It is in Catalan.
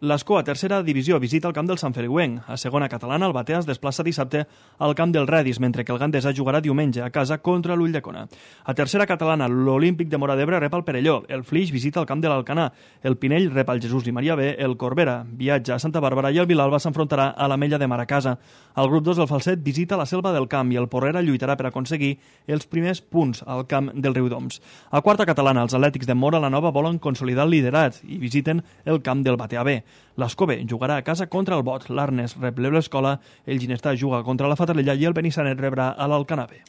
L'Escó, a tercera divisió, visita el camp del Sant Feliuenc. A segona catalana, el Batea es desplaça dissabte al camp del Redis, mentre que el Gandesa jugarà diumenge a casa contra l'Ulldecona. A tercera catalana, l'Olímpic de Móra d'Ebre rep el Perelló. El Flix visita el camp de l'Alcanar. El Pinell rep el Jesús i Maria B. El Corbera viatja a Santa Bàrbara i el Vilalba s'enfrontarà a l'Ametlla de Mar a casa. El grup 2 del Falset visita la Selva del Camp i el Porrera lluitarà per aconseguir els primers punts al camp del Riudoms. A quarta catalana, els Atlètics de Móra la Nova volen consolidar el liderat i visiten el camp del Batea B. L'Escó B jugarà a casa contra el Bot, l'Arnes rep l'Escola, el Ginestar juga contra la Fatarella i el Benissanet rebrà a l'Alcanar B.